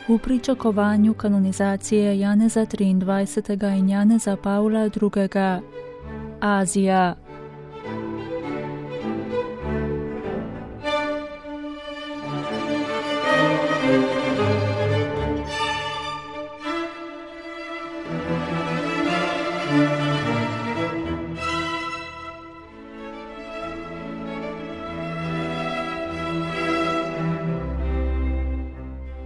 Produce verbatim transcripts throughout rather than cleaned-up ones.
V pričakovanju kanonizacije Janeza triindvajsetega in Janeza Pavla drugega. Azija.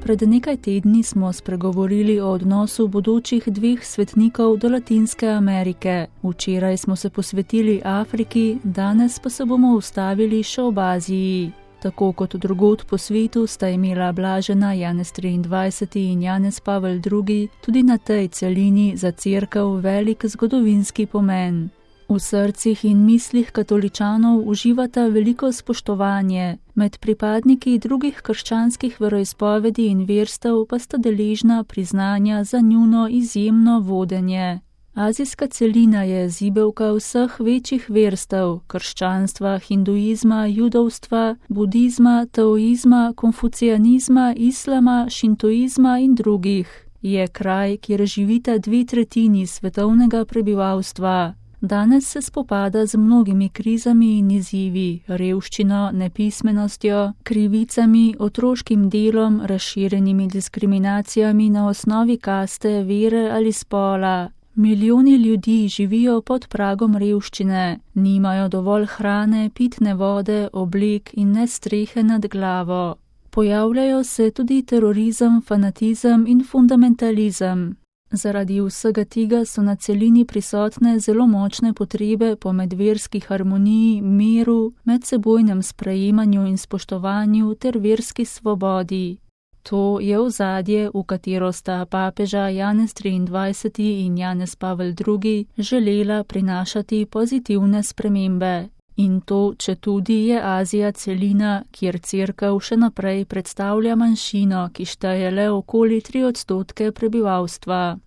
Pred nekaj tedni smo spregovorili o odnosu bodočih dveh svetnikov do Latinske Amerike. Včeraj smo se posvetili Afriki, danes pa se bomo ustavili še ob Aziji. Tako kot drugod po svetu sta imela blažena Janez triindvajseti in Janez Pavel drugi tudi na tej celini za cerkev velik zgodovinski pomen. V srcih in mislih katoličanov uživata veliko spoštovanje, med pripadniki drugih krščanskih veroizpovedi in verstev pa sta deležna priznanja za njuno izjemno vodenje. Azijska celina je zibelka vseh večjih verstev, krščanstva, hinduizma, judovstva, budizma, taoizma, konfucijanizma, islama, šintoizma in drugih. Je kraj, kjer živita dve tretjini svetovnega prebivalstva. Danes se spopada z mnogimi krizami in izzivi, revščino, nepismenostjo, krivicami, otroškim delom, razširjenimi diskriminacijami na osnovi kaste, vere ali spola. Milijoni ljudi živijo pod pragom revščine, nimajo dovolj hrane, pitne vode, oblek in ne strehe nad glavo. Pojavljajo se tudi terorizem, fanatizem in fundamentalizem. Zaradi vsega tega so na celini prisotne zelo močne potrebe po medverski harmoniji, miru, medsebojnem sprejemanju in spoštovanju ter verski svobodi. To je ozadje, v katero sta papeža Janez triindvajseti in Janez Pavel drugi želela prinašati pozitivne spremembe. In to, četudi je Azija celina, kjer cerkev še naprej predstavlja manjšino, ki šteje le okoli tri odstotke prebivalstva.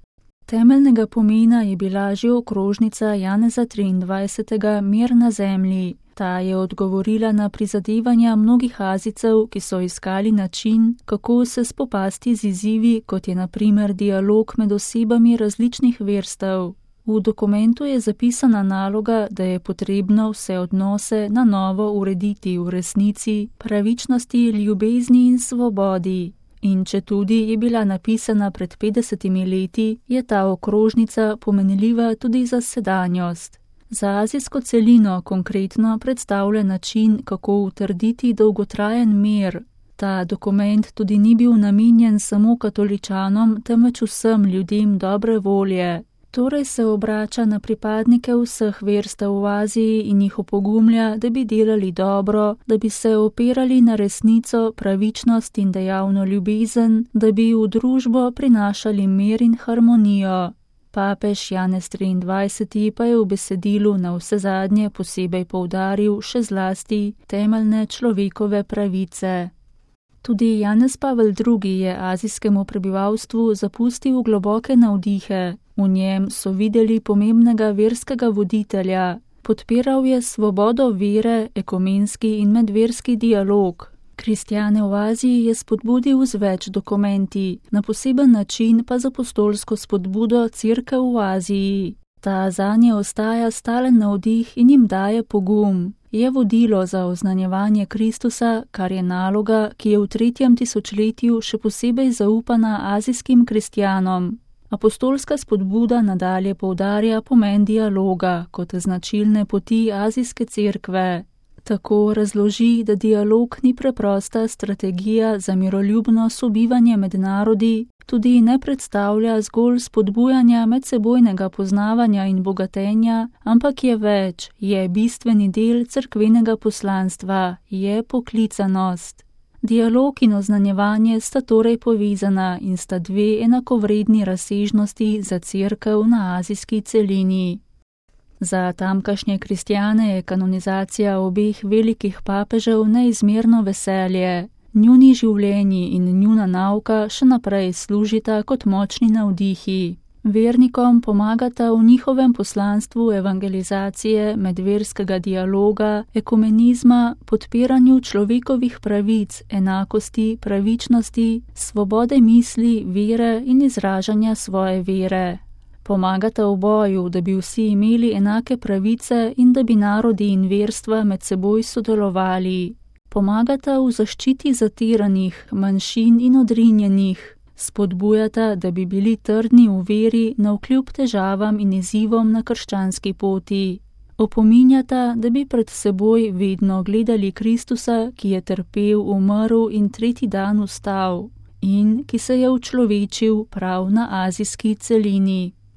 Temeljnega pomena je bila že okrožnica Janeza triindvajsetega Mir na zemlji. Ta je odgovorila na prizadevanja mnogih Azijcev, ki so iskali način, kako se spopasti z izzivi, kot je na primer dialog med osebami različnih verstev. V dokumentu je zapisana naloga, da je potrebno vse odnose na novo urediti v resnici, pravičnosti, ljubezni in svobodi. In četudi je bila napisana pred petdesetimi leti, je ta okrožnica pomenljiva tudi za sedanjost. Za azijsko celino konkretno predstavlja način, kako utrditi dolgotrajen mir. Ta dokument tudi ni bil namenjen samo katoličanom, temveč vsem ljudem dobre volje. Torej se obrača na pripadnike vseh verstev v Aziji in jih opogumlja, da bi delali dobro, da bi se opirali na resnico, pravičnost in dejavno ljubezen, da bi v družbo prinašali mir in harmonijo. Papež Janez triindvajseti pa je v besedilu na vsezadnje posebej poudaril še zlasti temeljne človekove pravice. Tudi Janez Pavel drugi je azijskemu prebivalstvu zapustil globoke navdihe. V njem so videli pomembnega verskega voditelja. Podpiral je svobodo vere, ekumenski in medverski dialog. Kristjane v Aziji je spodbudil z več dokumenti, na poseben način pa z apostolsko spodbudo Cerkev v Aziji. Ta zanje ostaja stalen navdih in jim daje pogum. Je vodilo za oznanjevanje Kristusa, kar je naloga, ki je v tretjem tisočletju še posebej zaupana azijskim kristjanom. Apostolska spodbuda nadalje poudarja pomen dialoga kot značilne poti azijske cerkve. Tako razloži, da dialog ni preprosta strategija za miroljubno sobivanje med narodi, tudi ne predstavlja zgolj spodbujanja medsebojnega poznavanja in bogatenja, ampak je več, je bistveni del cerkvenega poslanstva, je poklicanost. Dialog in oznanjevanje sta torej povezana in sta dve enakovredni razsežnosti za cerkev na azijski celini. Za tamkajšnje kristjane je kanonizacija obeh velikih papežev neizmerno veselje. Njuni življenji in njuna nauka še naprej služita kot močni navdihi. Vernikom pomagata v njihovem poslanstvu evangelizacije, medverskega dialoga, ekumenizma, podpiranju človekovih pravic, enakosti, pravičnosti, svobode misli, vere in izražanja svoje vere. Pomagata v boju, da bi vsi imeli enake pravice in da bi narodi in verstva med seboj sodelovali. Pomagata v zaščiti zatiranih, manjšin in odrinjenih. Spodbujata, da bi bili trdni v veri navkljub težavam in izzivom na krščanski poti. Opominjata, da bi pred seboj vedno gledali Kristusa, ki je trpel, umrl in tretji dan vstal in ki se je učlovečil prav na azijski celini.